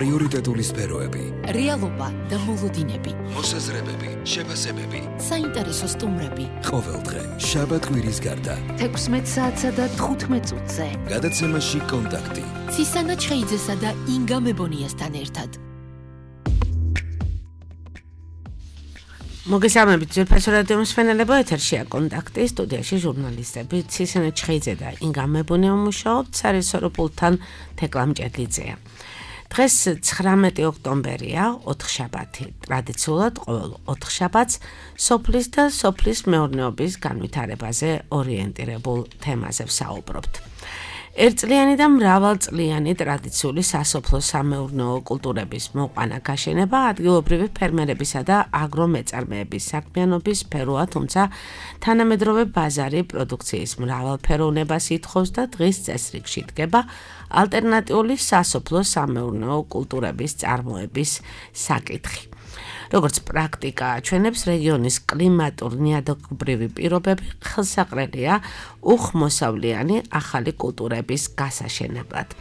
პრიორიტეტული სფეროები, რეალობა და მოლოდინები, მოსაზრებები, შეფასებები, საინტერესო სტუმრები. ყოველდღე, შაბათ-კვირის გარდა, 16 საათსა და 15 წუთზე. გადაცემაში კონტაქტი. ცისანა ჩხეიძესა და ინგა მებონიასთან ერთად. მოგესალმებით ძვირფასო რადიო მსმენელებო, ეთერშია კონტაქტი, სტუდიაში ჟურნალისტები ცისანა ჩხეიძე და ინგა მებონია მუშაობთ, სარესორო პულტთან თეკლამ ჭედლიძეა. დღეს 19 ოქტომბერია, ოთხშაბათი. ტრადიციულად ყოველ ოთხშაბათს სოფლის და სოფლის მეურნეობის განვითარებაზე ორიენტირებულ თემაზე ვსაუბრობთ. ერთწლიანი და მრავალწლიანი ტრადიციული სასოფლო-სამეურნეო კულტურების მოყვანა გაშენება ადგილობრივი ფერმერებისა და აგრომეწარმეების საქმიანობის სფეროა, თუმცა თანამედროვე ბაზარი პროდუქციის მრავალფეროვნებას ითხოვს და დღის წესრიგში დგება ალტერნატიული სასოფლო-სამეურნეო კულტურების წარმოების საკითხი. როგორც პრაქტიკა აჩვენებს, რეგიონის კლიმატურ-ნიადაგობრივი პირობები ხელსაყრელია უხმოსავლიანი ახალი კულტურების გასაშენებლად.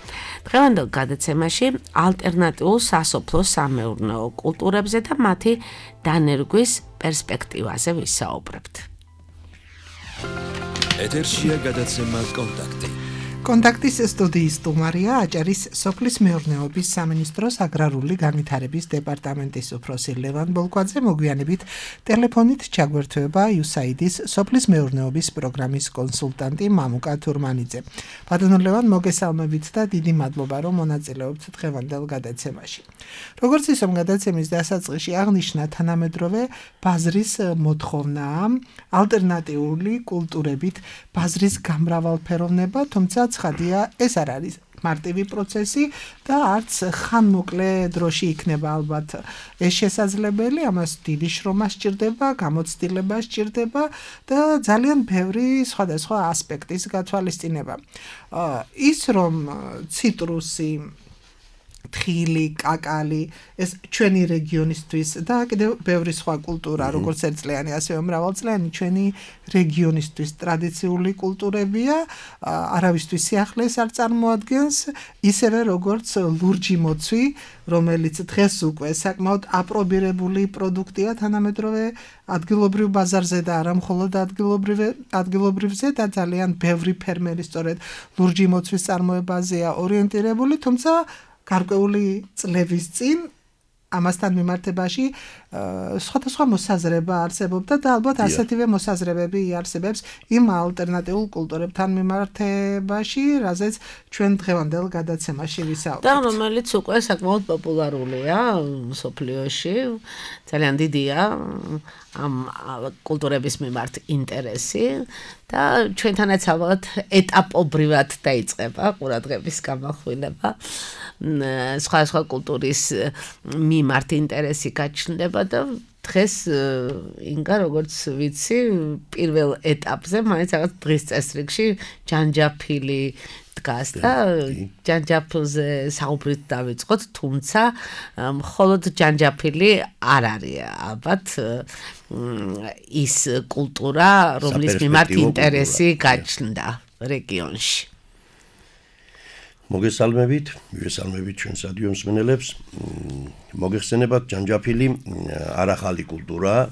დღევანდელ გადაცემაში ალტერნატიულ სასოფლო-სამეურნეო კულტურებზე და მათი დანერგვის პერსპექტივაზე ვისაუბრებთ. ეთერშია გადაცემა კონტაქტი. კონტაქტის სტუდიის სტუმარია აჭარის სოფლის მეურნეობის სამინისტროს აგრარული განვითარების დეპარტამენტის უფროსი ლევან ბოლკვაძე. მოგვიანებით ტელეფონით ჩაგვერთვება USAID-ის სოფლის მეურნეობის პროგრამის კონსულტანტი მამუკა თურმანიძე. ბატონო ლევან, მოგესალმებით და დიდი მადლობა, რომ მონაწილეობთ დღევანდელ გადაცემაში. როგორც ისომ გადაცემის დასაწყისში აღნიშნა, თანამედროვე ბაზრის მოთხოვნაა ალტერნატიული კულტურებით ბაზრის გამრავალფეროვნება, თუმცა ცხადია, ეს არ არის მარტივი პროცესი და არც ხანმოკლე დროში იქნება ალბათ ეს შესაძლებელი, ამას დიდი შრომა სჭირდება, გამოცდილება სჭირდება და ძალიან ბევრი სხვადასხვა ასპექტის გათვალისწინება. ის რომ ციტრუსი, თხილი, კაკალი, ეს ჩვენი რეგიონისთვის და კიდევ ბევრი სხვა კულტურა, როგორც ერთწლიანი, ასევე მრავალწლიანი ჩვენი რეგიონისთვის ტრადიციული კულტურებია, არავისთვის სიახლეს არ წარმოადგენს, ისევე როგორც ლურჯი მოცვი, რომელიც დღეს უკვე საკმაოდ აპრობირებული პროდუქტია თანამედროვე ადგილობრივ ბაზარზე და არა მხოლოდ ადგილობრივზე და ძალიან ბევრი ფერმერი სწორედ ლურჯი მოცვის წარმოებაზეა ორიენტირებული, თუმცა გარკვეული წლების წინ ამასთან მიმართებაში სხვადასხვა მოსაზრება არსებობდა და ალბათ ასეთივე მოსაზრებები იარსებებს იმ ალტერნატიულ კულტურებთან მიმართებაში, რაზეც ჩვენ დღევანდელ გადაცემაში ვისაუბრებთ. და რომელიც უკვე საკმაოდ პოპულარულია მსოფლიოში, ძალიან დიდია ამ კულტურების მიმართ ინტერესი და ჩვენთანაც ალბათ ეტაპობრივად დაიწყება ყურადღების გამახვილება. სხვა კულტურის მიმართ ინტერესი გაჩნდება და დღეს ინგა, როგორც ვიცი, პირველ ეტაპზე მაინც რაღაც დღის წესრიგში ჯანჯაფილი დგას და ჯანჯაფილზე საუბრით დავიწყოთ, თუმცა მხოლოდ ჯანჯაფილი არ არის ალბათ ის კულტურა, რომლის მიმართ ინტერესი გაჩნდა რეგიონში. მოგესალმებით ჩვენს რადიო მსმენელებს. მოგეხსენებათ, ჯანჯაფილი არ ახალი კულტურაა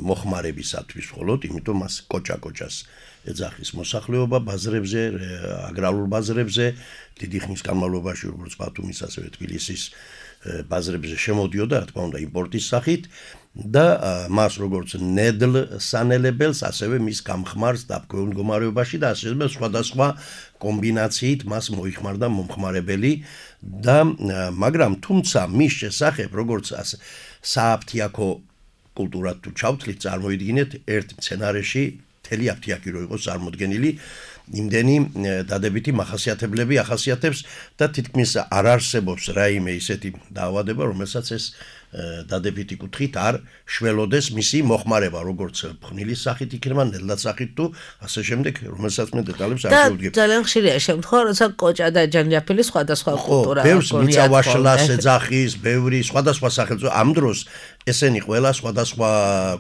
მოხმარებისათვის მხოლოდ, იმიტომ მას კოჭა-კოჭას ეძახის მოსახლეობა ბაზრებზე, აგრარულ ბაზრებზე, დიდი ხნის განმავლობაში, როგორც ბათუმის, ასევე თბილისის ბაზრებზე შემოდიოდა, რა თქმა უნდა, იმპორტის სახით და მას როგორც ნედლ სანელებელს, ასევე მის გამხმარს დაბქვეულ მდგომარეობაში და ასევე სხვადასხვა კომბინაციით მას მოიხმარდა მომხმარებელი და მაგრამ თუმცა მის შესახებ, როგორც სააფთიაქო კულტურად თუ ჩავთვლით, წარმოიდგინეთ ერთ მცენარეში მთელი აფთიაქი რო იყოს წარმოდგენილი, იმდენი დადებითი მახასიათებლები ახასიათებს და თითქმის არ არსებობს რაიმე ისეთი დაავადება, რომელსაც ეს დადებითი კუთხით არ შველოდეს მისი მოხმარება, როგორც ფხნილის სახით იქნება, ნედლად სახით თუ ასე შემდეგ, რომელსაც მე დეტალებს არ შევდგებ. ძალიან ხშირია შემთხვევა, როცა კოჭა და ჯანჯაფილი სხვადასხვა კულტურა აქვს. ბევრს მიწავაშლას ეძახის, ბევრი სხვადასხვა სახელწოდება. ამ დროს ესენი ყველა სხვადასხვა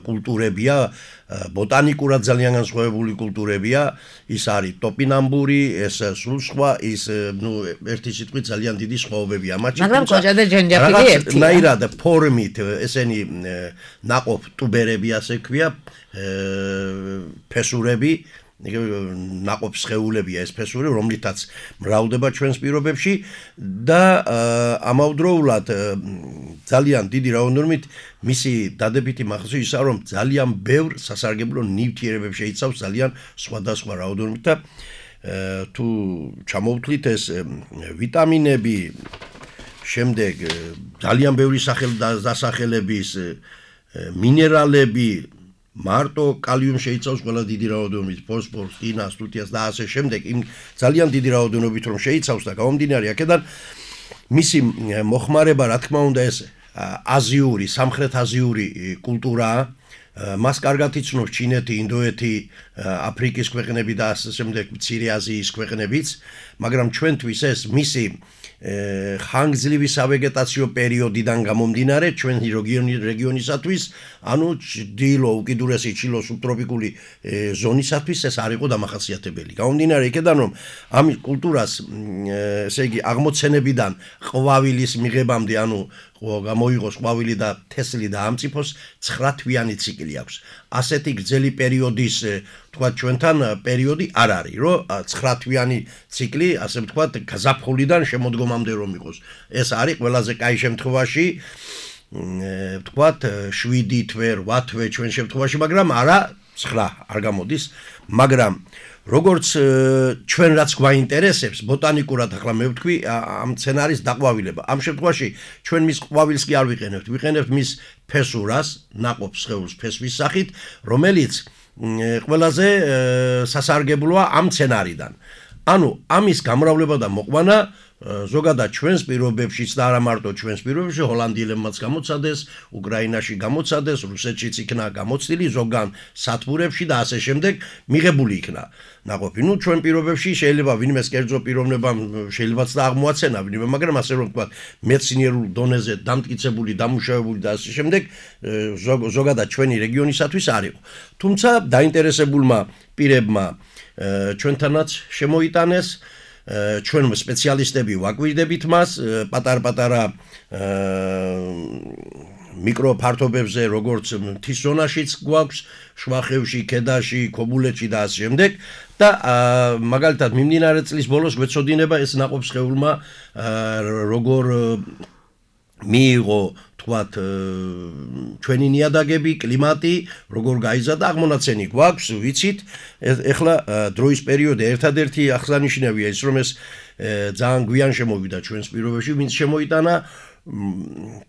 კულტურებია, ბოტანიკურად ძალიან განსხვავებული კულტურებია, ის არის ტოპინამბური, ეს სულ სხვა, ის ერთი სიტყვით ძალიან დიდი სხვაობებია მათში. მაგრამ კოჭა და ჯანჯაფილი ერთია. ნაირად ფორმით ესენი ნაყოფ ტუბერები ასე ქვია, ფესურები, ნაყოფ სხეულებია ეს ფესური, რომლითაც მრავლდება ჩვენს პირობებში და ამავდროულად ძალიან დიდი რაოდენობით მისი დადებითი მახასიათი ისაა, რომ ძალიან ბევრ სასარგებლო ნივთიერებებს შეიცავს ძალიან სხვადასხვა რაოდენობით და თუ ჩამოვთვლით ეს ვიტამინები, შემდეგ ძალიან ბევრი დასახელების მინერალები, მარტო კალიუმ შეიცავს ყველა დიდი რაოდენობით, ფოსფორს, რკინას, თუთიას და ასე შემდეგ, იმ ძალიან დიდი რაოდენობით რომ შეიცავს და გამომდინარე აქედან მისი მოხმარება, რა თქმა უნდა, ეს აზიური, სამხრეთ აზიური კულტურაა. მას კარგად იცნობს ჩინეთი, ინდოეთი, აფრიკის ქვეყნები და ასე შემდეგ, მცირე აზიის ქვეყნებიც, მაგრამ ჩვენთვის ეს მისი ხანგრძლივი სავეგეტაციო პერიოდიდან გამომდინარე ჩვენ რეგიონისათვის, ანუ ჭდილო უკიდურესი ჩილო სუბტროპიკული ზონისათვის ეს არ იყო დამახასიათებელი. გამომდინარე იქედან, რომ ამ კულტურას, ესე იგი, აღმოცენებიდან ყვავილის მიღებამდე, ანუ გამოიღოს ყვავილი და თესლი და ამწიფოს 9 თვიანი ციკლი აქვს. ასეთი გრძელი პერიოდის, თქვათ, ჩვენთან პერიოდი არ არის, რომ 9 თვიანი ციკლი, ასე ვთქვათ, გაზაფხულიდან შემოდგომამდე რომ იყოს. ეს არის ყველაზე კაი შემთხვევაში, ვთქვათ, 7 თვე, 8 თვე ჩვენ შემთხვევაში, მაგრამ არა 9 არ გამოდის, მაგრამ როგორც ჩვენ რაც გვაინტერესებს ბოტანიკურად, ახლა მე ვთქვი, ამ მცენარის დაყვავილება. ამ შემთხვევაში ჩვენ მის ყვავილს კი არ ვიყენებთ, ვიყენებთ მის ფესურას, ნაყოფ სხეულს ფესვის სახით, რომელიც ყველაზე სასარგებლოა ამ მცენარიდან. ანუ ამის გამრავლება და მოყვანა ზოგადად ჩვენს პირობებშიც და არა მარტო ჩვენს პირობებში, ჰოლანდიელებმაც გამოცადეს, უკრაინაში გამოცადეს, რუსეთშიც იქნა გამოცდილი, ზოგან სათბურებში და ასე შემდეგ მიღებული იქნა ნაყოფი. ნუ ჩვენ პირობებში შეიძლება ვინმეს კერძო პიროვნებამ შეიძლებაც და აღმოაცენა ვინმე, მაგრამ ასე რომ ვთქვათ, მეცნიერულ დონეზე დამტკიცებული, დამუშავებული და ასე შემდეგ, ზოგადად ჩვენი რეგიონისათვის არ იყო. თუმცა დაინტერესებულმა პირებმა ჩვენთანაც შემოიტანეს, ჩვენ სპეციალისტები ვაკვირდებით მას, პატარ-პატარა მიკროფართობებზე, როგორც მთის ზონაშიც გვაქვს, შვახევში, ქედაში, ქობულეთში და ასე შემდეგ და მაგალითად მიმდინარე წლის ბოლოს გვეცოდინება ეს ნაყოფსხეულმა როგორ მიიღო, თქვათ, ჩვენი ნიადაგები, კლიმატი, როგორ გაიზარდა, აღმონაცენი გვაქვს, ვიცით. ეხლა დროის პერიოდი ერთადერთი აღსანიშნავია ის, რომ ეს ძალიან გვიან შემოვიდა ჩვენს პირობებში, ვინც შემოიტანა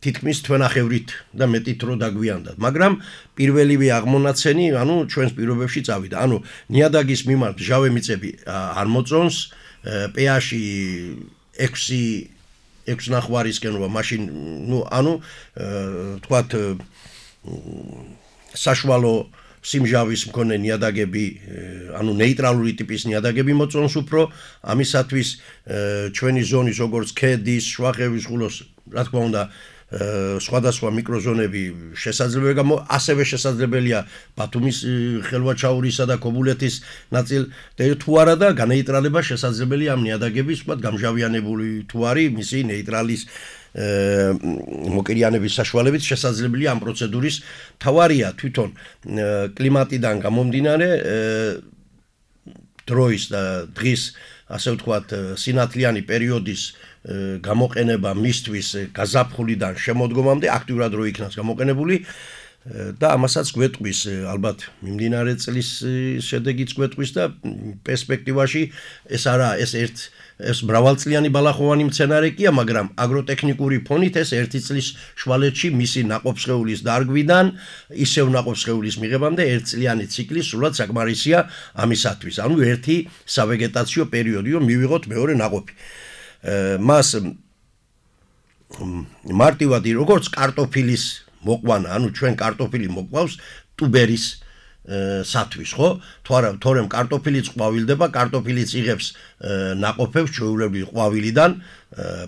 თითქმის თვენახევრით და მეტით რო დაგვიანდა. მაგრამ პირველივე აღმონაცენი, ანუ ჩვენს პირობებში წავიდა. ანუ ნიადაგის მიმართ მჟავე მიწები არ მოწონს, pH-ი 6 ნახვარისკენობა, მაშინ, ანუ თქვათ, საშუალო სიმჟავის მქონე ნიადაგები, ანუ ნეიტრალური ტიპის ნიადაგები მოწონს უფრო, ამისათვის ჩვენი ზონის, როგორც ქედის, შვახევის, ხულოს, რა თქმა უნდა, სხვადასხვა მიკროზონები შესაძლებელია, ასევე შესაძლებელია ბათუმის ხელვაჩაურისა და ქობულეთის ნაწილ, თუ არა და განეიტრალება შესაძლებელია ამ ნიადაგების, ვთქვათ, გამჟავიანებული თუ არის, მისი ნეიტრალის მოკირიანების საშუალებით შესაძლებელია ამ პროცედურის მთავარია თვითონ კლიმატიდან გამომდინარე დროის და დღის, ასე ვთქვათ, სინათლიანი პერიოდის გამოყენება მისთვის გაზაფხულიდან შემოდგომამდე აქტიურად რო იქნას გამოყენებული და ამასაც გვეტყვის ალბათ მიმდინარე წლის შედეგიც გვეტყვის და პერსპექტივაში ეს არა ეს მრავალწლიანი ბალახოვანი მცენარე კია, მაგრამ აგროტექნიკური ფონით ეს ერთი წლის შვალეთში მისი ნაყოფსხეულის დარგვიდან ისევ ნაყოფსხეულის მიღებამდე ერთწლიანი ციკლი სულად საკმარისია ამისათვის. ანუ ერთი სავეგეტაციო პერიოდი, რომ მივიღოთ მეორე ნაყოფი. მას მარტივად როგორც კარტოფილის მოყვანა, ანუ ჩვენ კარტოფილი მოყვავს ტუბერის სათვის, ხო? თორემ კარტოფილიც ყვავილდება, კარტოფილიც იღებს ნაყოფებს ჩვეულებრივ ყვავილიდან,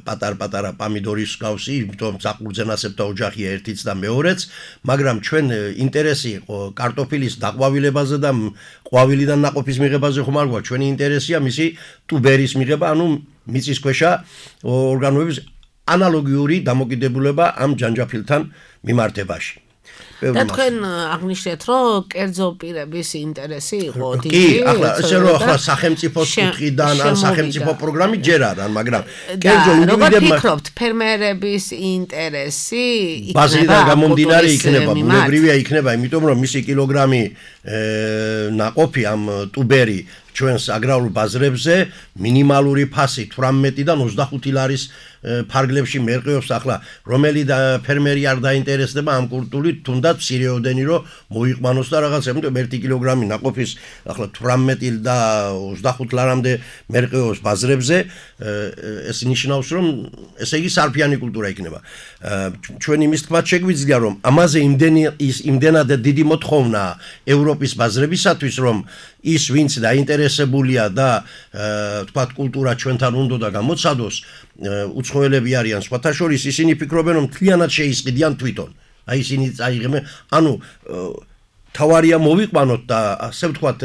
პატარ-პატარა პამიდორის გავსი, იმიტომ საყურძენასებრთა ოჯახია ერთიც და მეორეც, მაგრამ ჩვენ ინტერესი იყო კარტოფილის დაყვავილებაზე და ყვავილიდან ნაყოფის მიღებაზე ხომ არ გვაქვს, ჩვენი ინტერესია მისი ტუბერის მიღება, ანუ მიწისქვეშა ორგანოების ანალოგიური დამოკიდებულება ამ ჯანჯაფილთან მიმართებაში. და თქვენ აღნიშნეთ, რომ კერძო პირების ინტერესი იყო დიდი. კი, ახლა ესე რომ ახლა სახელმწიფოს კუთხიდან ან სახელმწიფო პროგრამით ჯერ არა, მაგრამ კერძო ინდივიდებმა როგორ ფიქრობთ, ფერმერების ინტერესი ბაზიდან გამომდინარე იქნება, ბუნებრივია იქნება, იმიტომ რომ მისი კილოგრამი ნაყოფი ამ ტუბერი ჩვენს აგრარულ ბაზრებზე მინიმალური ფასი 18-დან 25 ლარის ფარგლებში მერყეობს ახლა რომელი ფერმერი არ დაინტერესდება ამ კულტურით თუნდაც მცირეოდენი რომ მოიყვანოს და რაღაცა იმიტომ 1 კილოგრამი ნაყოფის ახლა 18 და 25 ლარამდე მერყეობს ბაზრებზე ეს ნიშნავს რომ ესე იგი სარფიანი კულტურა იქნება ჩვენ იმის თქმაც შეგვიძლია რომ ამაზე იმდენად დიდი მოთხოვნაა ევროპის ბაზრებისათვის რომ ის ვინც დაინტერესებულია და თქვათ კულტურა ჩვენთან უნდა და გამოცადოს უცხოელები არიან სხვათა შორის ისინი ფიქრობენ რომ მთლიანად შეისყიდიან თვითონ აი ისინი წაიღებენ ანუ თავარია მოვიყვანოთ და ასე ვთქვათ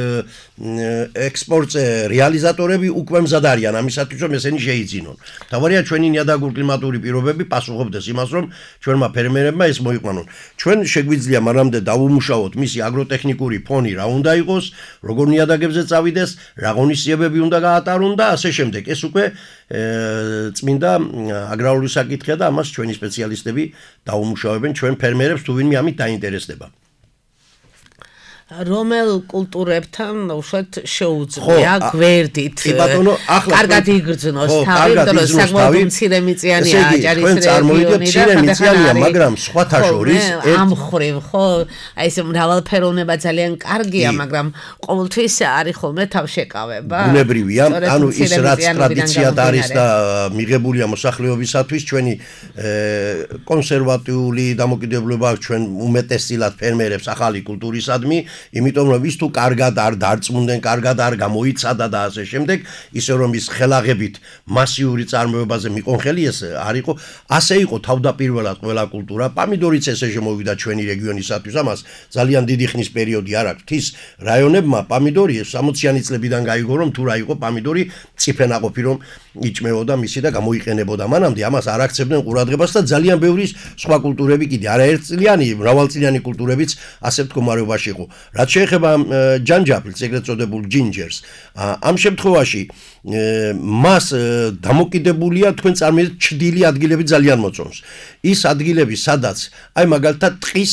ექსპორტზე რეალიზატორები უკვე მზად არიან ამისათვის რომ ესენი შეიძინონ თავარია ჩვენი ნიადაგური კლიმატური პირობები პასუხობდეს იმას რომ ჩვენმა ფერმერებმა ეს მოიყვანონ ჩვენ შეგვიძლია მანამდე დავუმუშაოთ მისი აგროტექნიკური ფონი რა უნდა იყოს როგორ ნიადაგებზე წავიდეს რა ღონისძიებები უნდა გაატარონ და ასე შემდეგ ეს უკვე წმინდა აგრარული საკითხია და ამას ჩვენი სპეციალისტები დაუმუშავებენ ჩვენ ფერმერებს თუ ვინმე ამით დაინტერესდება რომელ კულტურებთან უშუალოდ შეუძლია გვერდით კარგად იგრძნოს თავი და საკმაოდ მცირემიწიანია აჭარის რეგიონი და მცირემიწიანია მაგრამ სხვათა შორის ამ ხრივ ხო აი ეს მრავალფეროვნება ძალიან კარგია მაგრამ ყოველთვის არის ხოლმე თავშეკავება ბუნებრივია ანუ ის რაც ტრადიციად არის და მიღებულია მოსახლეობისათვის ჩვენი კონსერვატიული დამოკიდებულება ჩვენ უმეტესწილად ფერმერებს ახალი კულტურისადმი იმიტომ რომ ის თუ კარგად არ დარწმუნდნენ, კარგად არ გამოიცადა და ასე შემდეგ, ისე რომ ის ხელაღებით მასიური წარმოებაზე მიყონ ხელი ეს არ იყო, ასე იყო თავდაპირველად ყველა კულტურა, პამიდორიც ესე შემოვიდა ჩვენი რეგიონისათვის, ამას ძალიან დიდი ხნის პერიოდი არ აქვს. თის რაიონებმა პამიდორი 60-იანი წლებიდან გაიგო რომ თუ რა იყო პამიდორი ციფენაყოფი რომ იჭმეოდა მისი და გამოიყენებოდა მანამდე ამას არ აქცევდნენ ყურადღებას და ძალიან ბევრი სხვა კულტურები კიდე არაერთწლიანი, მრავალწლიანი კულტურებიც ასე მდგომარეობაში იყო. რაც შეეხება ჯანჯაფილს, ეგრეთ წოდებულ ჯინჯერს, ამ შემთხვევაში მას დამოკიდებულია თქვენ წარმოიდგინეთ ჩრდილი ადგილები ძალიან მოწონს. ის ადგილები, სადაც აი მაგალითად ტყის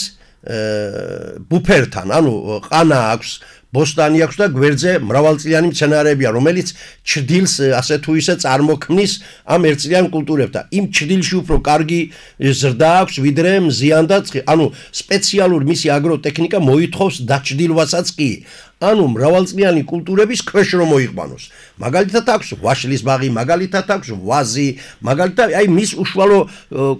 ბუფერთან, ანუ ყანა აქვს ბოსტანი აქვს და გვერდზე მრავალწლიანი მცენარეებია, რომელიც ჩრდილს ასე თუ ისე წარმოქმნის ამ ერთწლიან კულტურებთან. იმ ჩრდილში უფრო კარგი ზრდა აქვს, ვიდრე მზიან და ცხი. ანუ სპეციალური მისი აგროტექნიკა მოითხოვს დაჩრდილვასაც კი. ანუ მრავალწლიანი კულტურების ქვეშ რომ მოიყვანოს. მაგალითად აქვს ვაშლის ბაღი, მაგალითად აქვს ვაზი, მაგალითად აი მის უშუალო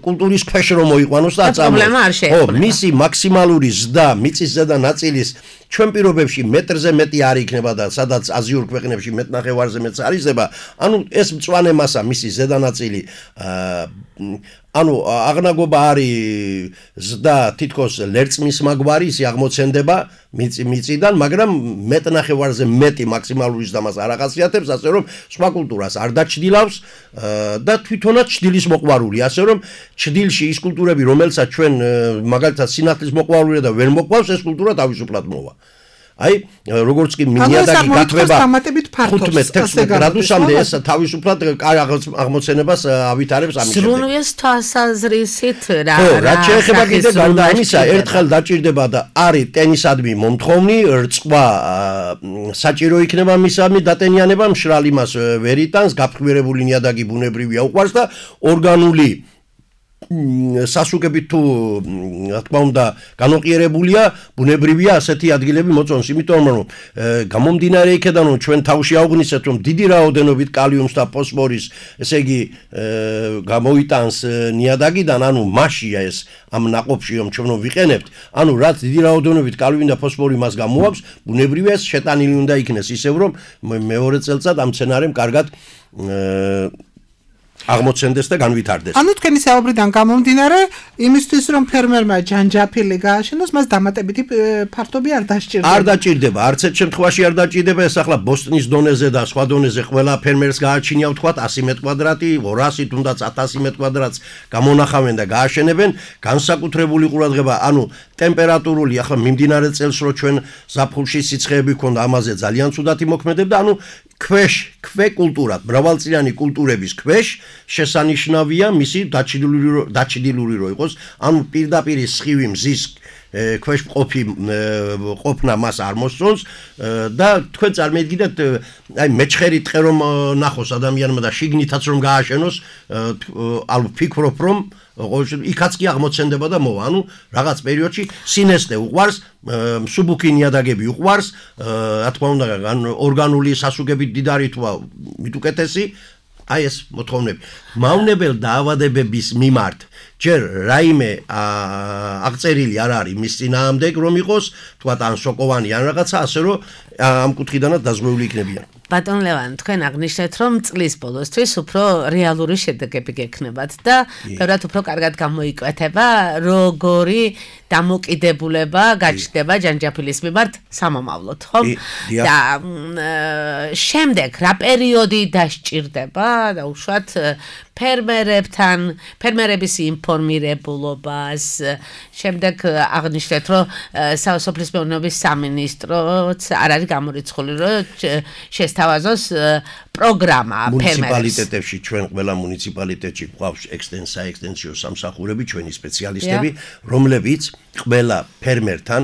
კულტურის ქვეშ რომ მოიყვანოს და აწამოს. მისი მაქსიმალური ზრდა მიწის ზედა ნაწილის ჩვენ პირობებში მეტრზე მეტი არ იქნება და სადაც აზიურ ქვეყნებში მეტნახევარზე მეც არ იზრდება. ანუ ეს მწვანე მასა მისი ზედა ნაწილი ანუ აღნაგობა არის ზრდა თითქოს ლერწმის მაგვარი ისი აღმოცენდება მიწიდან, მაგრამ მეტნახევარზე მეტი მაქსიმალური ზრდას არ ახასიათებს, ასე რომ სხვა კულტურას არ დაჩრდილავს და თვითონაც ჩრდილის მოყვარული, ასე რომ ჩრდილში ის კულტურები, რომელსაც ჩვენ მაგალითად სინათლის მოყვარულია და ვერ მოყვავს, ეს კულტურა თავისუფლად მოვა. აი, როგორც კი მინიადაგი გათვება 15-16 გრადუსამდე ეს თავისუფლად აღმოცენებას ავითარებს ამის შემდეგ. ზრუნვის თვალსაზრისით რა შეეხება კიდე გარდა ამისა, ერთხელ დაჭირდება და არის ტენისადმი მომთხოვნი, რწყვა საჭირო იქნება მისამი დატენიანება, მშრალი მას ვერ იტანს, გაფრქვირებული ნიადაგი ბუნებრივია უყვარს და ორგანული სასუგებით თუ რა თქმა უნდა განოყიერებულია, ბუნებრივია ასეთი ადგილები მოწონს, იმიტომ რომ გამომდინარე იქედან რომ ჩვენ თავში ავღნისეთ რომ დიდი რაოდენობით კალიუმს და ფოსფორის, ესე იგი გამოიტანს ნიადაგიდან, ანუ მასშია ეს ამ ნაყოფში რომ ჩვენ ვიყენებთ, ანუ რაც დიდი რაოდენობით კალიუმი და ფოსფორი მას გამოაქვს, ბუნებრივია ეს შეტანილი უნდა იქნეს ისევ რომ მეორე წელწად ამ მცენარემ კარგად აღმოცენდეს და განვითარდეს. ანუ თქვენი საუბრიდან გამომდინარე, იმისთვის რომ ფერმერმა ჯანჯაფილი გააშენოს, მას დამატებითი ფართობი არ დასჭირდება. არ დაჭირდება, არც ერთ შემთხვევაში არ დაჭირდება, ეს ახლა ბოსტნის დონეზე და სხვა დონეზე ყველა ფერმერს გააჩნია ვთქვათ 100 მეტ კვადრატი, 200 თუნდაც 1000 მეტ კვადრატს გამონახავენ და გააშენებენ, განსაკუთრებული ყურადღება, ანუ ტემპერატურული, ახლა მიმდინარე წელს რო ჩვენ ზაფხულში სიცხეები ქონდა, ამაზე ძალიან ცუდად იმოქმედებდა, ანუ ქვე კულტურად, მრავალწლიანი კულტურების ქვეშ შესანიშნავია მისი დაჩრდილული რო იყოს, ანუ პირდაპირ სხივი მზის ქვეშ ყოფნა მას არ მოსწონს და თქვენ წარმოიდგინეთ, აი მეჩხერი ტყე რომ ნახოს ადამიანმა და შიგნითაც რომ გააშენოს, ალბათ ფიქრობ რომ იქაც კი აღმოცენდება და მოვა, ანუ რაღაც პერიოდში სინესტე უყვარს, მსუბუქი ნიადაგები უყვარს, რა თქმა უნდა, ორგანული სასუგებით დიდარი თვა მით უკეთესი, აი ეს მოთხოვნები. მავნებელ დაავადებების მიმართ ჯერ რაიმე აღწერილი არ არის მის წინააღმდეგ რომ იყოს, თქვათ ან სოკოვანი ან რაღაცა, ასე რომ ამ კუთხიდანაც დაზღვეული იქნებიან. ბატონ ლევან, თქვენ აღნიშნეთ, რომ წლის ბოლოსთვის უფრო რეალური შედეგები გექნებათ და ბევრად უფრო კარგად გამოიკვეთება, როგორი დამოკიდებულება გაჩნდება ჯანჯაფილის მიმართ სამომავლოდ, ხო? და შემდეგ რა პერიოდი დასჭირდება და უშუალოდ ფერმერების ინფორმირებულობას, შემდეგ აღნიშნეთ, რომ სოფლის მეურნეობის სამინისტროც არ არის გამორიცხული, რომ შესთავაზოს პროგრამა ფერმერებს. მუნიციპალიტეტებში ჩვენ ყველა მუნიციპალიტეტში გვყავს ექსტენსიო სამსახურები, ჩვენი სპეციალისტები, რომლებიც ყველა ფერმერთან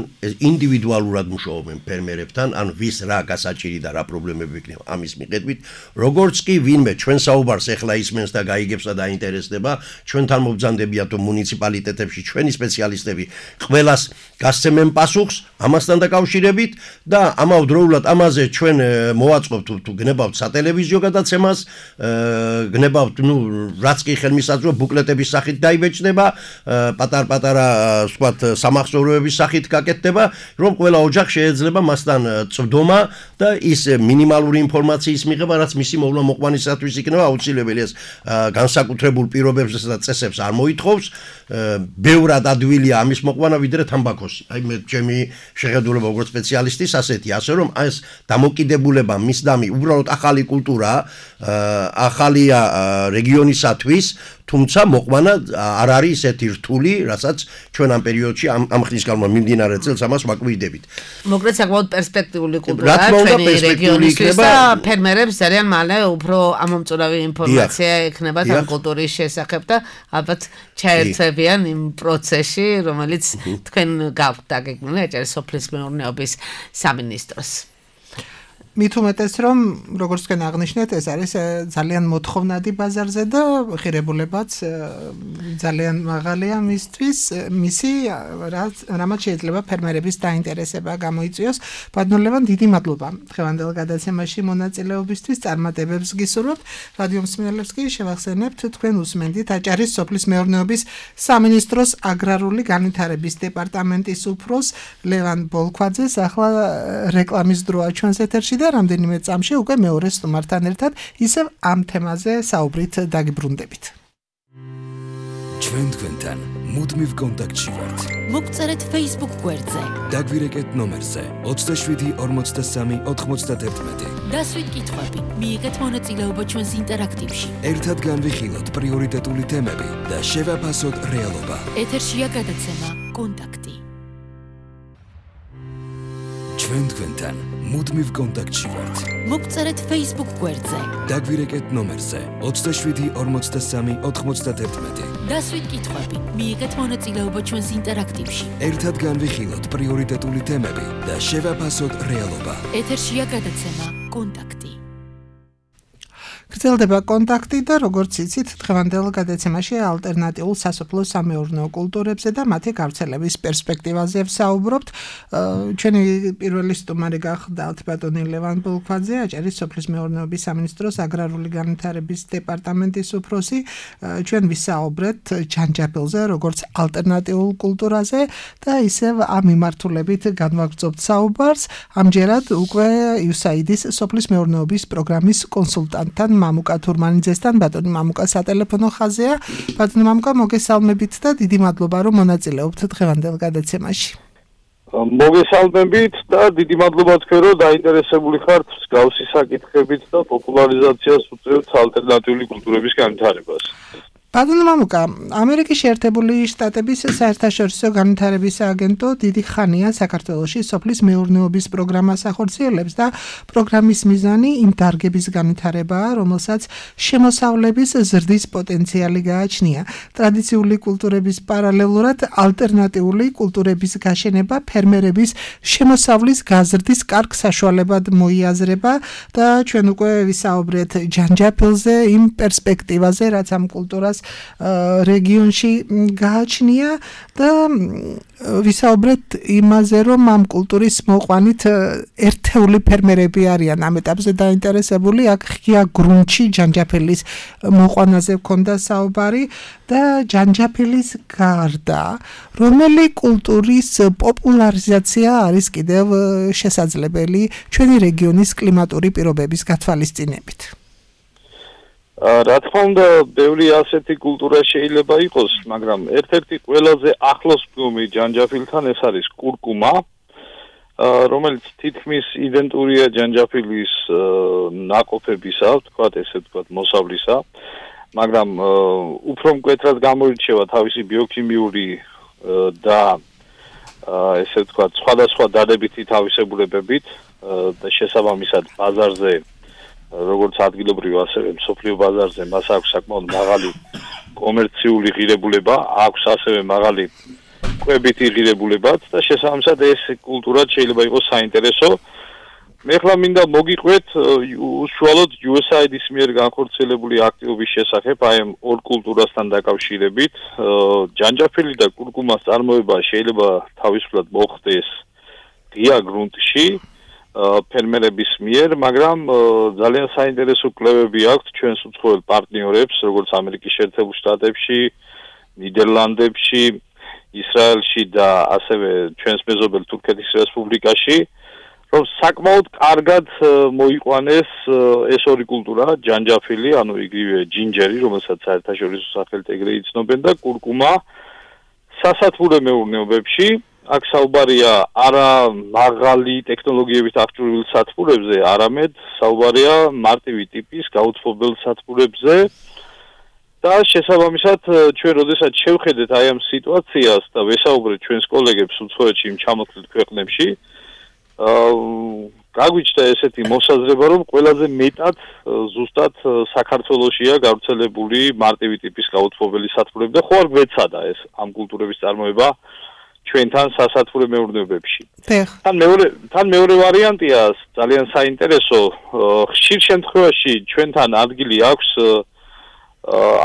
ინდივიდუალურად მუშაობენ ფერმერებთან, ან ვის რა გასაჭირი და რა პრობლემები იქნება ამის მიხედვით, როგორც კი ვინმე ჩვენ საუბარს ეხლა ისმენს და გაიგებს და დაინტერესდება, ჩვენთან მობრძანდებიათ მუნიციპალიტეტებში ჩვენი სპეციალისტები ყველას გასცემენ პასუხს ამასთან დაკავშირებით და ამავდროულად ამაზე ჩვენ მოვაწყობთ თუ გნებავთ სატელევიზიო გადაცემას, გნებავთ, რაც კი ხელმისაწვდომია ბუკლეტების სახით დაიბეჭდება, პატარ-პატარა სხვათ სამახსოვროების სახით გაკეთდება, რომ ყველა ოჯახ შეიძლება მასთან წვდომა და ის მინიმალური ინფორმაციის მიღება, რაც მისი მოვლა-მოყვანისათვის იქნება აუცილებელი, ეს განსაკუთრებულ პირობებს და წესებს არ მოითხოვს, ბევრად ადვილია ამის მოყვანა ვიდრე თამბაქოს. აი მე ჩემი შეხედულება როგორც სპეციალისტის ასეთია, ასე რომ ეს დამოკიდებულება მისდამი უბრალოდ ახალი კულტურა, ახალია რეგიონისათვის, თუმცა მოყვანა არ არის ისეთი რთული, რასაც ჩვენ ამ პერიოდში ამ ხნის განმავლობაში მიმდინარე წელს ამას ვაკვირდებით. მოკლედ საკმაოდ პერსპექტიული კულტურაა ჩვენი რეგიონისთვის და ფერმერებს ძალიან მალე უფრო ამომწურავი ინფორმაცია ექნებათ ამ კულტურის შესახებ და ალბათ ჩაერთვებიან იმ პროცესში, რომელიც თქვენ გაქვთ დაგეგმილი, აჭარის სოფლის მეურნეობის სამინისტროს. მით უმეტეს რომ როგორც თქვენ აღნიშნეთ, ეს არის ძალიან მოთხოვნადი ბაზარზე და ღირებულებაც ძალიან მაღალია მისი რამაც შეიძლება ფერმერების დაინტერესება გამოიწვიოს. ბატონ ლევან, დიდი მადლობა დღევანდელ გადაცემაში მონაწილეობისთვის, წარმატებებს გისურვებთ. რადიო მსმენელებს კი შევახსენებთ, თქვენ უსმენდით აჭარის სოფლის მეურნეობის სამინისტროს აგრარული განვითარების დეპარტამენტის უფროს ლევან ბოლქვაძეს. ახლა რეკლამის დროა ჩვენს ეთერში და რამდენიმე წამში უკვე მეორე სტუმართან ერთად ისევ ამ თემაზე საუბრით დაგიბრუნდებით. ჩვენ თქვენთან მუდმივ კონტაქტში ვართ. მოგწერეთ Facebook გვერდზე. დაგვირეკეთ ნომერზე 27 43 91. დასვით კითხვები, მიიღეთ მონაწილეობა ჩვენს ინტერაქტივში. ერთად განვიხილოთ პრიორიტეტული თემები და შევაფასოთ რეალობა. ეთერშია გადაცემა კონტაქტი. ჩვენ თქვენთან მუდმივ კონტაქტში ვართ. მოგწერეთ Facebook გვერდზე. დაგვირეკეთ ნომერზე 27 43 91. დასვით კითხვები, მიიღეთ მონაწილეობა ჩვენს ინტერაქტივში. ერთად განვიხილოთ პრიორიტეტული თემები და შევაფასოთ რეალობა. ეთერშია გადაცემა კონტაქტი. გრძელდება კონტაქტი და როგორც იცით, დღევანდელ გადაცემაში ალტერნატიულ სასოფლო სამეურნეო კულტურებზე და მათი გავრცელების პერსპექტივაზე ვსაუბრობთ. ჩვენი პირველი სტუმარი გახლდათ ბატონი ლევან ბოლქვაძე, აჭარის სოფლის მეურნეობის სამინისტროს აგრარული განვითარების დეპარტამენტის უფროსი. ჩვენ ვისაუბრეთ ჯანჯაფილზე, როგორც ალტერნატიულ კულტურაზე და ისევ ამ მიმართულებით განვაგრძობთ საუბარს. ამჯერად უკვე USAID-ის სოფლის მეურნეობის პროგრამის კონსულტანტთან მამუკა თურმანიძესთან ბატონი მამუკა სატელეფონო ხაზია. ბატონი მამუკა, მოგესალმებით და დიდი მადლობა რომ მონაწილეობთ დღევანდელ გადაცემაში. მოგესალმებით და დიდი მადლობა თქვენ რომ დაინტერესებული ხართ მსგავსი საკითხებით და პოპულარიზაციას უწევთ ალტერნატიული კულტურების განვითარებას. ბატონო მამუკა, ამერიკის შეერთებული შტატების საერთაშორისო განვითარების აგენტო დიდი ხანია საქართველოში სოფლის მეურნეობის პროგრამას ახორციელებს და პროგრამის მიზანი იმ დარგების განვითარებაა, რომელსაც შემოსავლების ზრდის პოტენციალი გააჩნია. ტრადიციული კულტურების პარალელურად ალტერნატიული კულტურების გაშენება ფერმერების შემოსავლის გაზრდის კარგ საშუალებად მოიაზრება და ჩვენ უკვე ვისაუბრეთ ჯანჯაფილზე, იმ პერსპექტივაზე, რაც ამ კულტურას რეგიონში გააჩნია და ვისაუბრეთ იმაზე, რომ ამ კულტურის მოყვანით ერთეული ფერმერები არიან ამ ეტაპზე დაინტერესებული. აქ ღია გრუნტში ჯანჯაფილის მოყვანაზე ჰქონდა საუბარი და ჯანჯაფილის გარდა რომელი კულტურის პოპულარიზაცია არის კიდევ შესაძლებელი ჩვენი რეგიონის კლიმატური პირობების გათვალისწინებით? რა თქმა უნდა, ბევრი ასეთი კულტურა შეიძლება იყოს, მაგრამ ერთ-ერთი ყველაზე ახლოს მდგომი ჯანჯაფილთან ეს არის კურკუმა, რომელიც თითქმის იდენტურია ჯანჯაფილის ნაყოფებისა, ვთქვათ, მოსავლისა, მაგრამ უფრო მკვეთრად გამოირჩევა თავისი ბიოქიმიური და ესე ვთქვათ, სხვადასხვა დადებითი თავისებურებებით და შესაბამისად ბაზარზე როგორც ადგილობრივ ასევე მსოფლიო ბაზარზე მას აქვს საკმაოდ მაღალი კომერციული ღირებულება, აქვს ასევე მაღალი კვებითი ღირებულებაც და შესაბამისად ეს კულტურა შეიძლება იყოს საინტერესო. მე ხლა მინდა მოგიყვეთ უშუალოდ USAID-ის მიერ განხორციელებული აქტივობის შესახებ აი ამ ორ კულტურასთან დაკავშირებით. ჯანჯაფილი და კურკუმას წარმოება შეიძლება თავისუფლად მოხდეს ღია გრუნტში ფერმერების მიერ, მაგრამ ძალიან საინტერესო კვლევები აქვს ჩვენს უცხოელ პარტნიორებს, როგორც ამერიკის შეერთებულ შტატებში, ნიდერლანდებში, ისრაელში და ასევე ჩვენს მეზობელ თურქეთის რესპუბლიკაში, რომ საკმაოდ კარგად მოიყვანეს ეს ორი კულტურა, ჯანჯაფილი, ანუ იგივე ჯინჯერი, რომელსაც საერთაშორისო სახელით ეგრე იცნობენ და კურკუმა სასათბურე მეურნეობებში. აქ საუბარია არა მაღალი ტექნოლოგიებით აღჭურვილ სათბურებზე, არამედ საუბარია მარტივი ტიპის გაუცნობელ სათბურებზე და შესაბამისად ჩვენ როდესაც შევხედეთ აი ამ სიტუაციას და ვესაუბრეთ ჩვენს კოლეგებს უცხოეთში იმ ჩამოთვლილ ქვეყნებში, გაგვიჩნდა ესეთი მოსაზრება, რომ ყველაზე მეტად ზუსტად საქართველოშია გავრცელებული მარტივი ტიპის გაუცნობელი სათბურები და ხო არ გვეცადა ეს ამ კულტურების წარმოება ჩვენთან სასათბურე მეურნეობებში. თან მეორე ვარიანტია ძალიან საინტერესო. ხშირ შემთხვევაში ჩვენთან ადგილი აქვს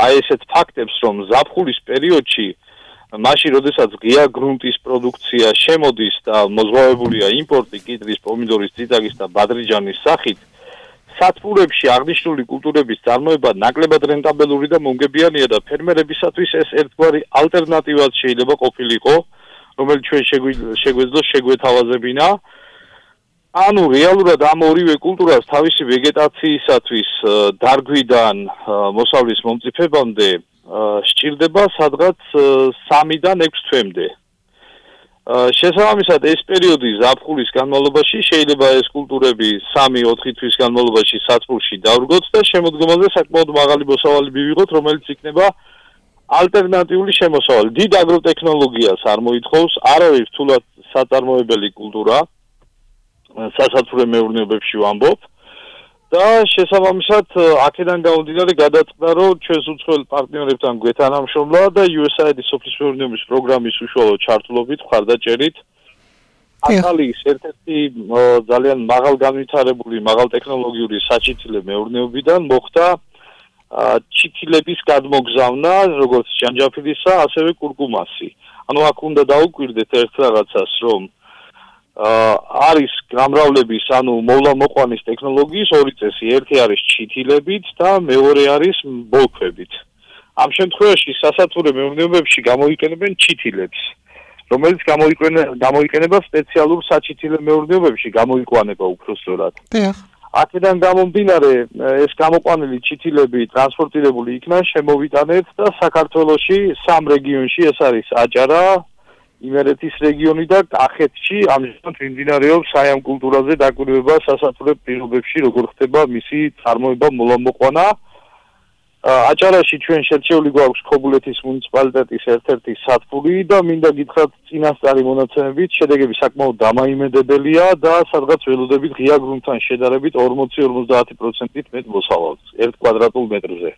აი ესეთ ფაქტებს, რომ ზაფხულის პერიოდში, მაშინ როდესაც ღია გრუნტის პროდუქცია შემოდის და მოზღვავებულია იმპორტი კიტრის, პომიდორის, წიწაკის და ბადრიჯანის სახით, სათბურებში აღნიშნული კულტურების წარმოება ნაკლებად რენტაბელური და მომგებიანია და ფერმერებისათვის ეს ერთგვარი ალტერნატივად შეიძლება ყოფილიყო, რომელიც ჩვენ შეგვეძლოს შეგვეთავაზებინა. ანუ რეალურად ამ ორივე კულტურას თავისი ვეგეტაციისათვის დარგვიდან მოსავლის მომწიფებამდე სჭირდება სადღაც 3-დან 6 თვემდე. შესაბამისად ეს პერიოდი ზაფხულის განმავლობაში შეიძლება ეს კულტურები 3-4 თვის განმავლობაში სათბურში დავრგოთ და შემოდგომაზე საკმაოდ მაღალი მოსავალი მივიღოთ, რომელიც იქნება ალტერნატიული შემოსავალი. დიდ აგროტექნოლოგიას არ მოითხოვს, არავის რთულად საწარმოებელი კულტურა სასათბურე მეურნეობებში ვამბობ და შესაბამისად აქედან გამომდინარე გადაწყდა, რომ ჩვენს უცხოელ პარტნიორებთან გვეთანამშრომლა და USAID-ის სოფლის მეურნეობის პროგრამის უშუალო ჩართულობით მხარდაჭერით აკალის ერთ-ერთი ძალიან მაღალგანვითარებული, მაღალტექნოლოგიური საჩითილე მეურნეობიდან მოხდა ჩითილების გადმოგზავნა, როგორც ჯანჯაფილისა, ასევე კურკუმასი. ანუ აქ უნდა დაუკვირდეთ ერთ რაღაცას, რომ არის გამრავლების, ანუ მოვლა-მოყვანის ტექნოლოგიის ორი წესი, ერთი არის ჩითილებით და მეორე არის ბოლქვებით. ამ შემთხვევაში სასათურე მეურნეობებში გამოიყენებენ ჩითილებს, რომელიც გამოიყენება სპეციალურ საჩითილე მეურნეობებში, გამოიყვანება უფრო სწორად. აქედან გამომდინარე, ეს გამოყვანილი ჩითილები ტრანსპორტირებული იქნა, შემოვიტანეთ და საქართველოში 3 რეგიონში, ეს არის აჭარა, იმერეთის რეგიონი და კახეთში ამჟამად მიმდინარეობს აი ამ კულტურაზე დაკვირვება სასათურე პირობებში, როგორ ხდება მისი წარმოება, მოვლა-მოყვანა. აჭარაში ჩვენ შერჩეული გვაქვს ქობულეთის მუნიციპალიტეტის ერთ-ერთი სათბური და მინდა გითხრათ წინასწარი მონაცემებით შედეგები საკმაოდ დამაიმედებელია და სადღაც ველოდებით ღია გრუნტთან შედარებით 40-50%-ით მეტ მოსავალს 1 კვადრატულ მეტრზე.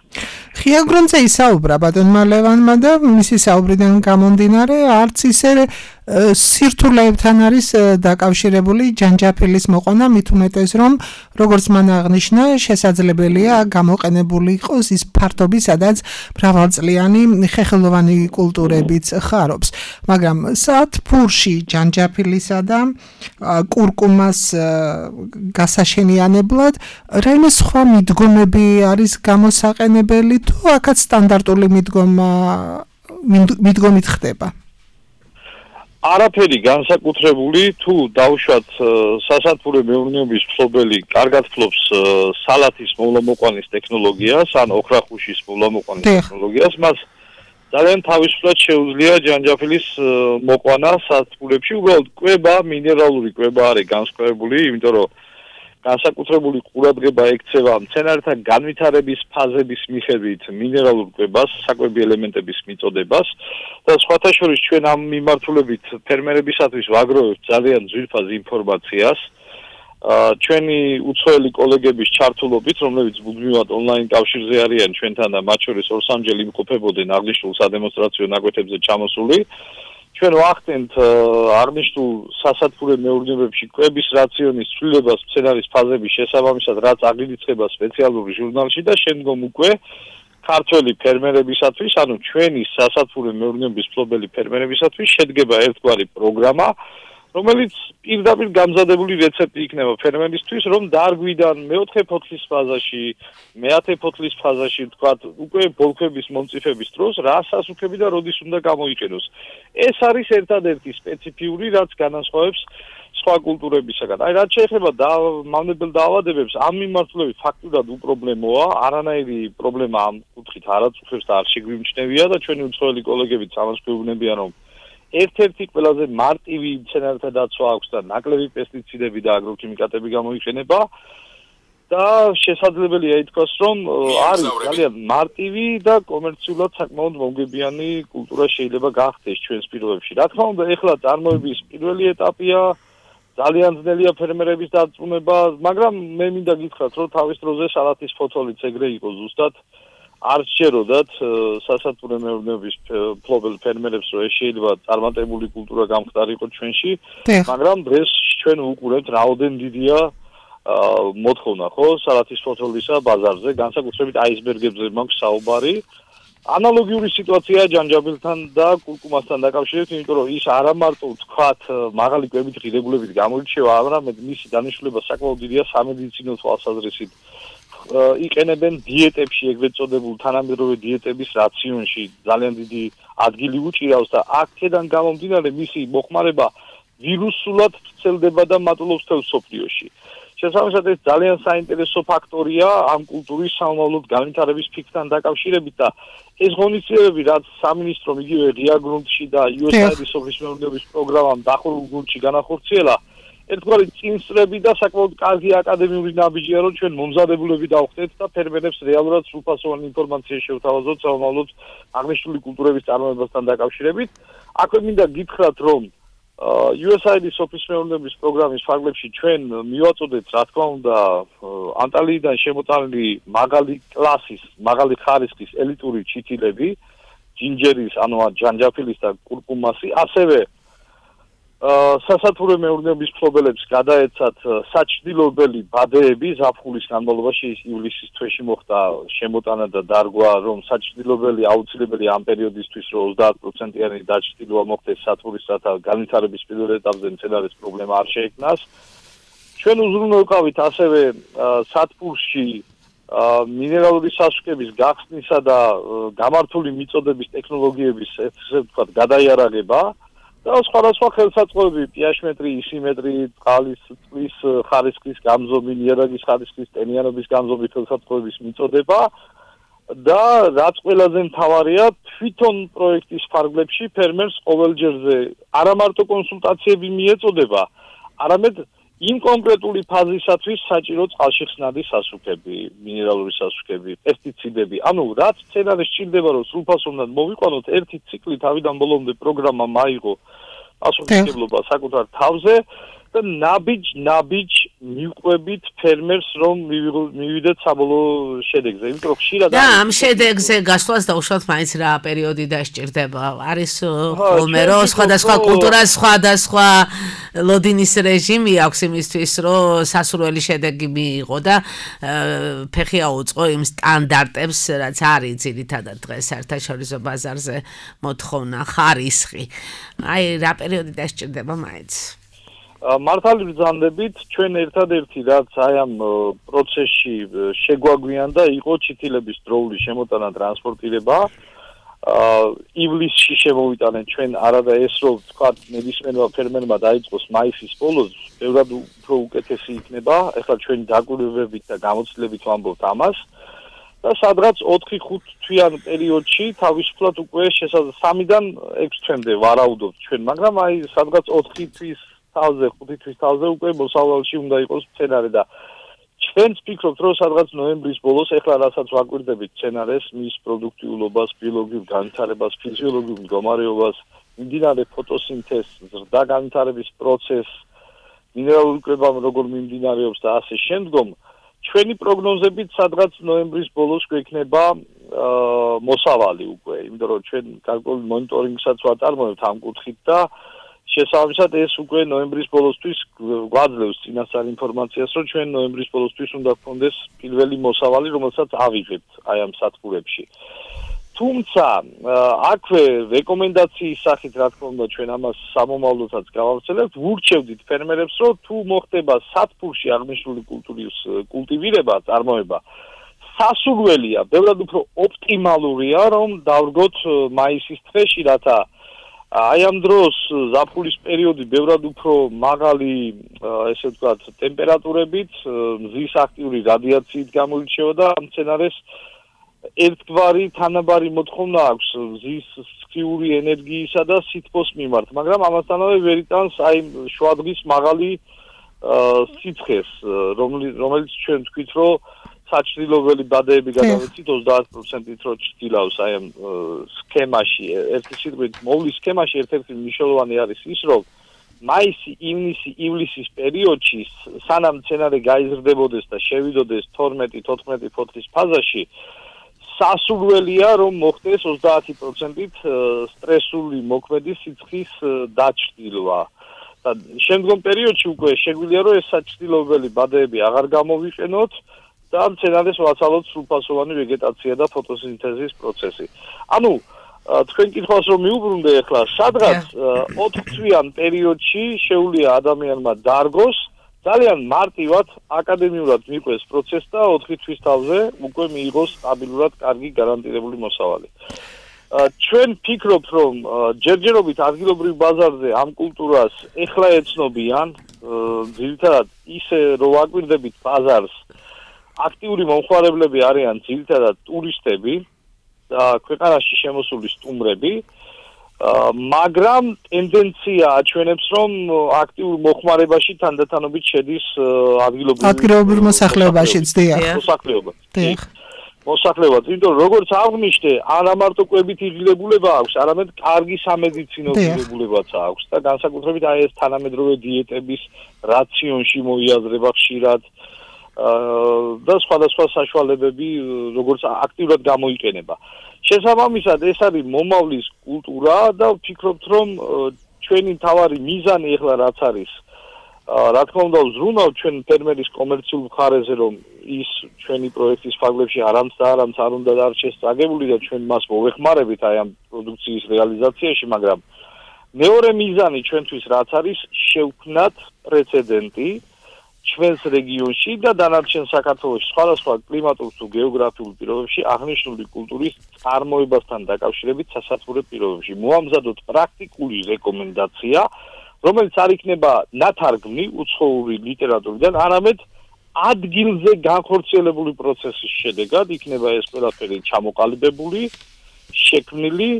ღია გრუნტზე ისაუბრა ბატონმა ლევანმა და მისი საუბრიდან გამომდინარე არც ისე სირთულეებთან არის დაკავშირებული ჯანჯაფილის მოყვანა, მით უმეტეს რომ როგორც მან აღნიშნა, შესაძლებელია გამოყენებული იყოს ის ფართობი, სადაც მრავალწლიანი ხეხილოვანი კულტურებიც ხარობს. მაგრამ სათბურში ჯანჯაფილისა და კურკუმას გასაშენიანებლად რაიმე სხვა მიდგომები არის გამოსაყენებელი თუ აქაც სტანდარტული მიდგომით ხდება? არაფერი განსაკუთრებული, თუ დავუშვათ სასათბურე მეურნეობის მფლობელი კარგად ფლობს სალათის მოვლა-მოყვანის ტექნოლოგიას, ან ოქრახუშის მოვლა-მოყვანის ტექნოლოგიას, მას ძალიან თავისუფლად შეუძლია ჯანჯაფილის მოყვანა სათბურებში, უბრალოდ კვება, მინერალური კვება არის განსხვავებული, იმიტომ რომ განსაკუთრებული ყურადღება ექცევა მცენარეთა განვითარების ფაზების მიხედვით მინერალურ კვებას, საკვები ელემენტების მიწოდებას და სხვათა შორის ჩვენ ამ მიმართულებით ფერმერებისათვის ვაგროვებთ ძალიან ძვირფას ინფორმაციას. ჩვენი უცხოელი კოლეგების ჩართულობით, რომლებიც მუდმივად ონლაინ კავშირზე არიან ჩვენთან და მათ შორის 2-3 იმყოფებოდნენ აღნიშნულ სადემონსტრაციო ნაკვეთებზე ჩამოსული. ჩვენ ვახდენთ აღნიშნულ სასათბურე მეურნეობებში კვების რაციონის ცვლილებას მცენარის ფაზების შესაბამისად, რაც აღიძება სპეციალურ ჟურნალში და შემდგომ უკვე ქართველი ფერმერებისათვის, ანუ ჩვენი სასათბურე მეურნეობის მფლობელი ფერმერებისათვის შედგება ერთგვარი პროგრამა, რომელიც პირდაპირ გამზადებული რეცეპტი იქნება ფერმერისთვის, რომ დარგვიდან მეოთხე ფოთლის ფაზაში, მეათე ფოთლის ფაზაში, თქვათ, უკვე ბოლქვების მომწიფების დროს რა სასუქები და როდის უნდა გამოიყენოს. ეს არის ერთადერთი სპეციფიური, რაც განასხვავებს სხვა კულტურებისაგან. აი, რაც შეეხება მავნებელ დაავადებებს, ამ მიმართულებით ფაქტურად უპრობლემოა, არანაირი პრობლემა ამ კუთხით არ აწუხებს და არ შეგვიმჩნევია და ჩვენი უცხოელი კოლეგებიც ამას გვეუბნებიან, რომ ერთ-ერთი ყველაზე მარტივი მცენარეთა დაცვა აქვს და ნაკლები პესტიციდები და აგროქიმიკატები გამოიყენება და შესაძლებელია ითქვას, რომ არის ძალიან მარტივი და კომერციულად საკმაოდ მომგებიანი კულტურა შეიძლება გახდეს ჩვენს პირობებში. რა თქმა უნდა, ეხლა წარმოების პირველი ეტაპია, ძალიან ძნელია ფერმერების დარწმუნება, მაგრამ მე მინდა გითხრათ, რომ თავის დროზე სალათის ფოთოლიც ეგრე იყო ზუსტად არ შეეროდათ სასათბურე მეურნეობის მფლობელ ფერმერებს, რომ ეს შეიძლება წარმატებული კულტურა გამხდარიყო ჩვენში, მაგრამ დღეს ჩვენ ვუყურებთ რაოდენ დიდია მოთხოვნა, ხო, სალათის ფოთოლისა ბაზარზე, განსაკუთრებით აისბერგებზე მაქვს საუბარი. ანალოგიური სიტუაციაა ჯანჯაფილთან და კურკუმასთან დაკავშირებით, იმიტომ რომ ის არა მარტო თქვათ მაღალი კვებით ღირებულებით გამოირჩევა, არამედ მისი დანიშნულება საკმაოდ დიდია სამედიცინო თვალსაზრისით. იყენებენ დიეტებში, ეგრეთ წოდებულ თანამედროვე დიეტების რაციონში ძალიან დიდი ადგილი უჭირავს და აქედან გამომდინარე მისი მოხმარება ვირუსულად ვრცელდება და მატულობს მთელ მსოფლიოში. შესაბამისად, ეს ძალიან საინტერესო ფაქტორია ამ კულტურის სამომავლოდ განვითარების ფიქრთან დაკავშირებით და ეს ღონისძიებები, რაც სამინისტრომ იგივე ღია გრუნტში და USAID-ის სოფლის მეურნეობის პროგრამამ დახურულ გუნდში განახორციელა, ერთგვარი წინსწრები და საკმაოდ კარგი აკადემიური ნაბიჯია, რომ ჩვენ მომზადებულები დავხდეთ და ფერმერებს რეალურად სრულფასოვანი ინფორმაცია შევთავაზოთ სამომავლოდ აღნიშნული კულტურების წარმოებასთან დაკავშირებით. აქვე მინდა გითხრათ, რომ USAID-ის სოფლის მეურნეობის პროგრამის ფარგლებში ჩვენ მივაწოდეთ, რა თქმა უნდა, ანტალიიდან შემოტანილი მაღალი კლასის, მაღალი ხარისხის ელიტური ჩითილები, ჯინჯერის, ანუ ჯანჯაფილის და კურკუმასი, ასევე სასათურე მეურნეობის მფლობელებს გადაეცათ საჭრილობელი ბადეები ზაფხულის განმავლობაში ივლისის თვეში მოხდა შემოტანა და დარგვა რომ საჭრილობელი აუცილებელი ამ პერიოდისთვის რომ 30%-იანი დაჭრილობა მოხდეს სათურის რათა განვითარების პირველ ეტაპზე მცენარეს პრობლემა არ შეექმნას. ჩვენ უზრუნველყავით ასევე სათბურში მინერალური სასუქების გახსნისა და გამართული მიწოდების ტექნოლოგიების ესე ვთქვათ გადაიარაღება და სხვადასხვა ხელსაწყოები pH მეტრი, ისიმეტრი, წყლის ხარისხის გამზომი, ნიადაგის ხარისხის ტენიანობის გამზომი ხელსაწყოების მიწოდება და რაც ყველაზე მთავარია თვითონ პროექტის ფარგლებში ფერმერს ყოველჯერზე არა მარტო კონსულტაციები მიეწოდება, არამედ იმ კონკრეტული ფაზისათვის საჭირო წყალშიხსნადი სასუქები, მინერალური სასუქები, პესტიციდები. ანუ რაც მცენარეს სჭირდება რომ სრულფასოვნად მოვიყვანოთ, ერთი ციკლი თავიდან ბოლომდე პროგრამა მაიღო პასუხისმგებლობა საკუთარ თავზე და ნაბიჯ მიყვებით ფერმერს რომ მივიდეთ საბოლოო შედეგზე. იმიტომ რომ ხშირად და ამ შედეგზე გასვლას დაუშვათ მაინც რა პერიოდი დასჭირდება. არის ხოლმე რომ სხვადასხვა კულტურას სხვადასხვა ლოდინის რეჟიმი აქვს იმისთვის რომ სასურველი შედეგი მიიღო და ფეხი აუწყო იმ სტანდარტებს რაც არის ძირითადად დღეს საერთაშორისო ბაზარზე მოთხოვნა ხარისხი. აი რა პერიოდი დასჭირდება მაინც. მართალი ბრძანდებით ჩვენ ერთადერთი რაც აი ამ პროცესში შეგვაგვიანდა იყო ჩითილების დროული შემოტანა ტრანსპორტირება. ივლისში შემოვიტანენ ჩვენ არადა ეს რომ თქვა ნებისმიერმა ფერმერმა დაიწყოს მაისის ბოლოს, ბევრად უფრო უკეთესი იქნება. ეხლა ჩვენ დაკვირვებით და გამოცდილებით ვამბობთ ამას. და სადღაც 4-5 თვიან პერიოდში თავისუფლად უკვე 3-დან 6 თვემდე ვარაუდობთ ჩვენ, მაგრამ აი სადღაც 4 თვის თავზე 5 თვის თავზე უკვე მოსავალში უნდა იყოს მცენარე და ჩვენც ვფიქრობთ რომ სადღაც ნოემბრის ბოლოს ეხლა რასაც ვაკვირდებით მცენარეს, მის პროდუქტიულობას, ბიოლოგიურ განვითარებას, ფიზიოლოგიურ მდგომარეობას, მიმდინარე ფოტოსინთეზს, ზრდა განვითარების პროცესს, მინერალური კრება როგორ მიმდინარეობს და ასე შემდგომ ჩვენი პროგნოზებით სადღაც ნოემბრის ბოლოს გვექნება მოსავალი უკვე, იმიტომ რომ ჩვენ გარკვეული მონიტორინგსაც ვაწარმოებთ ამ კუთხით და შესაბამისად ეს უკვე ნოემბრის ბოლოსთვის გვაძლევს წინასწარ ინფორმაციას, რომ ჩვენ ნოემბრის ბოლოსთვის უნდა გქონდეს პირველი მოსავალი, რომელსაც ავიღებთ აი ამ სათბურებში. თუმცა აქვე რეკომენდაციის სახით რა თქმა უნდა ჩვენ ამას სამომავლოდაც გავავრცელებთ, ვურჩევდით ფერმერებს, რომ თუ მოხდება სათბურში აღნიშნული კულტურის კულტივირება, წარმოება, სასურველია, ბევრად უფრო ოპტიმალურია, რომ დავდგოთ მაისის თვეში, რათა აი ამ დროს ზაფხულის პერიოდი ბევრად უფრო მაღალი, ესე ვთქვათ, ტემპერატურებით, მზის აქტიური რადიაციით გამოირჩევა და მცენარეს ერთგვარი თანაბარი მოთხოვნა აქვს მზის სქიური ენერგიისა და სითბოს მიმართ, მაგრამ ამასთანავე ვერ იტანს აი შუადღის მაღალი სიცხეს, რომელიც ჩვენ თქვით, რომ საჭრილობელი ბადეები გადავეცით 30%-ით რო ჩრდილავს აი ამ სქემაში, ერთი სიტყვით მოვლის სქემაში ერთ-ერთი მნიშვნელოვანი არის ის, რომ მაისი, ივნისი, ივლისის პერიოდში სანამ მცენარე გაიზრდებოდეს და შევიდოდეს 12-14 ფოთლის ფაზაში, სასურველია რომ მოხდეს 30%-ით სტრესული მოქმედი სიცხის დაჭრილვა. და შემდგომ პერიოდში უკვე შეგვიძლია რომ ეს საჭრილობელი ბადეები აღარ გამოვიყენოთ და მცენარეს ვაცალოთ სრულფასოვანი ვეგეტაცია და ფოტოსინთეზის პროცესი. ანუ თქვენ კითხვას რომ მიუბრუნდე ახლა, სადღაც 4 თვიან პერიოდში შეუძლია ადამიანმა დარგოს ძალიან მარტივად აკადემიურად მიყვეს პროცესს და 4 თვის თავზე უკვე მიიღოს სტაბილურად კარგი გარანტირებული მოსავალი. ჩვენ ვფიქრობთ, რომ ჯერჯერობით ადგილობრივ ბაზარზე ამ კულტურას ეხლა ეცნობიან, ძირითადად ისე რომ ვაკვირდებით ბაზარს, აქტიური მომხმარებლები არიან ძირითადად ტურისტები და ქვეყანაში შემოსული სტუმრები, მაგრამ ტენდენცია აჩვენებს, რომ აქტიურ მოხმარებაში თანდათანობით შედის ადგილობრივ მოსახლეობაშიც, მოსახლეობა. მოსახლეობაც, იმიტომ როგორც აღნიშნე, არა მარტო კვებითი ღირებულება აქვს, არამედ კარგი სამედიცინო ღირებულებაც აქვს და განსაკუთრებით აი ეს თანამედროვე დიეტების რაციონში მოიაზრება ხშირად და სხვადასხვა საშუალებები, როგორც აქტიურად გამოიყენება. შესაბამისად, ეს არის მომავლის კულტურა და ვფიქრობთ, რომ ჩვენი თავარი მიზანი ახლა რაც არის რა თქმა უნდა ვზრუნავთ ჩვენ ფერმერის კომერციულ მხარეზე რომ ის ჩვენი პროექტის ფარგლებში არამც არ უნდა დარჩეს წაგებული და ჩვენ მას მოვეხმარებით აი ამ პროდუქციის რეალიზაციაში, მაგრამ მეორე მიზანი ჩვენთვის რაც არის შევქმნათ პრეცედენტი ჩვენს რეგიონში და დანარჩენ საქართველოში სხვადასხვა კლიმატურ თუ გეოგრაფიულ პირობებში აღნიშნული კულტურის წარმოებასთან დაკავშირებით სასათბურე პირობებში. მოამზადოთ პრაქტიკული რეკომენდაცია, რომელიც არ იქნება ნათარგმნი უცხოური ლიტერატურიდან, არამედ ადგილზე განხორციელებული პროცესის შედეგად იქნება ეს ყველაფერი ჩამოყალიბებული, შექმნილი,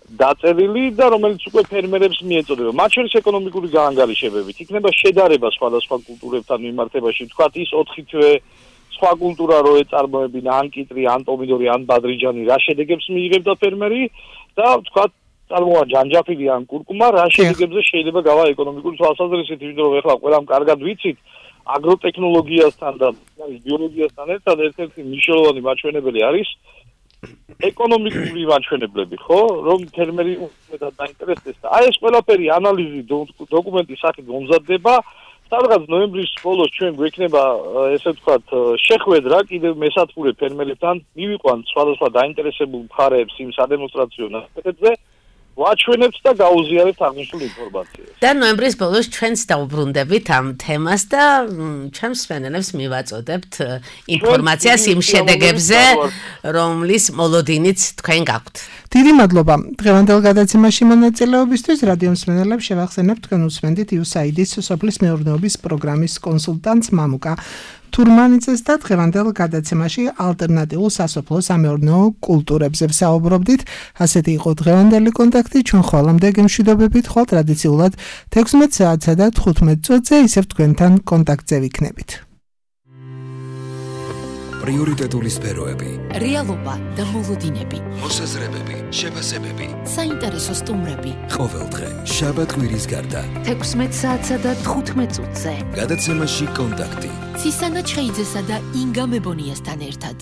დაწერილი და რომელიც უკვე ფერმერებს მიეწოდება. მათ შორის ეკონომიკური გაანგარიშებებით იქნება შედარება სხვადასხვა კულტურებთან მიმართებაში, თქვათ ის 4 თვე სხვა კულტურა რო ეწარმოებინა, ან კიტრი, ან პომიდორი, ან ბადრიჯანი, რა შედეგებს მიიღებდა ფერმერი და თქვათ წარმოა ჯანჯაფილი ან კურკუმა, რა შედეგებზე შეიძლება გავა ეკონომიკური თვალსაზრისით, იმიტომ რომ ეხლა ყველამ კარგად ვიცით, აგროტექნოლოგიასთან და ბიოლოგიასთან ერთად ერთ-ერთი მნიშვნელოვანი მაჩვენებელი არის ეკონომიკური მაჩვენებლები, ხო, რომ ფერმერი უმეტად დაინტერესდეს და აი ეს ყველაფერი ანალიზი დოკუმენტის სახით მომზადდება. სადღაც ნოემბრის ბოლოს ჩვენ გვექნება ესე ვთქვათ შეხვედრა კიდევ მესათბურე ფერმერებთან, მივიყვანთ სხვადასხვა დაინტერესებულ მხარეებს იმ სადემონსტრაციო ნაკეთებზე, ვაჩვენებთ და გაუზიარებთ აღნიშნულ ინფორმაციას. და ნოემბრის ბოლოს ჩვენც დავუბრუნდებით ამ თემას და ჩვენს მსმენელებს მივაწოდებთ ინფორმაციას იმ შედეგებზე, რომლის მოლოდინიც თქვენ გაქვთ. დიდი მადლობა. დღევანდელ გადაცემაში მონაწილეობისთვის რადიო მსმენელებს შევახსენებთ თქვენ უსმენდით USAID-ის სოფლის მეურნეობის პროგრამის კონსულტანტს მამუკა თურმანიძეს და დღევანდელ გადაცემაში ალტერნატიულ სასოფლო-სამეურნეო კულტურებზე ვსაუბრობდით. ასეთი იყო დღევანდელი კონტაქტი. ჩვენ ხოლმე გემშვიდობებით, ხოლ ტრადიციულად 16 საათსა და 15 წუთზე ისევ თქვენთან კონტაქტზე ვიქნებით. პრიორიტეტული სფეროები, რეალობა და მოლოდინები, მოსაზრებები, შეფასებები, საინტერესო სტუმრები. ყოველდღე, შაბათ-კვირის გარდა. 16 საათსა და 15 წუთზე. გადაცემაში კონტაქტი. ცისანა ჩხეიძესა და ინგა მებონიასთან ერთად.